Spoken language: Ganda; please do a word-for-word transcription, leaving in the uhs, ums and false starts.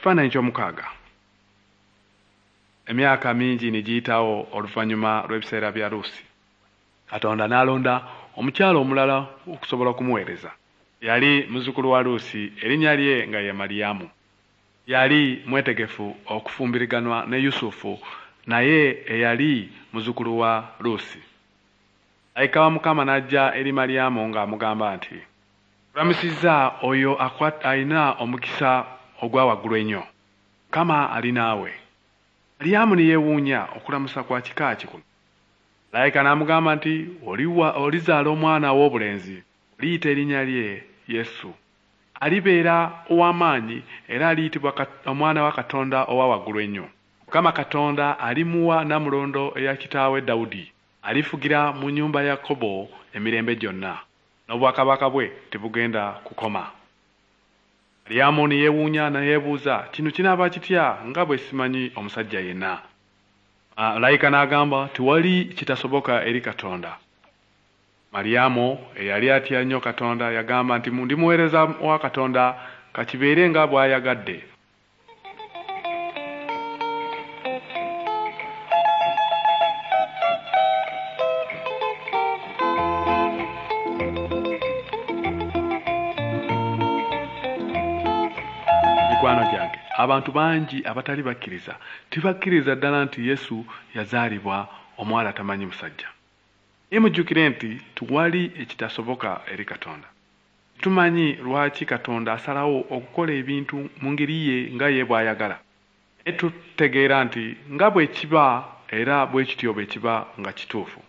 Ekifaananyi ky'omukaaga. Emyaka mingi ne giyitawo oluvannyuma lw'ebiseera bya Luusi. Katonda n'alonda omukyala omulala okusobola okumuweereza. Yali muzzukulu wa Luusi, erinnya lye nga ye Maliyamu. Yali mwetegefu okufumbiriganwa ne Yusufu naye eyali muzzukulu wa Luusi. Malayika wa Mukama n'ajja eri Maliyamu ng'amugamba nti, Kulamusizza oyo alina omukisa ogwa waggulu ennyo. Mukama ali naawe. Maliyamu ne yeewuunya okulamusa kwa kika ki kuno. Malayika n'amugamba nti, olizaala omwana ow'obulenzi, oliyita erinnya lye Yesu. Alibeera ow'amaanyi era aliyitibwa omwana wa Katonda owa waggulu ennyo. Mukama Katonda alimuwa nnamulondo eya kitaawe Dawudi. Alifugira mu nnyumba ya Yakobo emirembe gyonna, n'obwakabaka bwe tebugenda kukoma. Maliyamu ne yeewuunya ne yeebuuza, kino kinaaba kitya nga bwe simanyi omusajja yenna? Malayika n'agamba, tewali kitasoboka eri Katonda. Maliyamu eyali atya nnyo Katonda yagamba nti ndi muweereza wa Katonda, ka kibeere nga bw'ayagadde. Mikwano gyange, abantu bangi abatali bakkiriza tebakkiriza ddala nti Yesu yazaalibwa omuwala atamanyi musajja. Naye mujjukire nti tewali ekitasoboka eri Katonda. Tumanyi lwaki Katonda asalawo okukola ebintu mu ngeri ye nga ye bw'ayagala. Naye tutegeera nti nga bwe kiba era bwe kityo bwe kiba nga kituufu.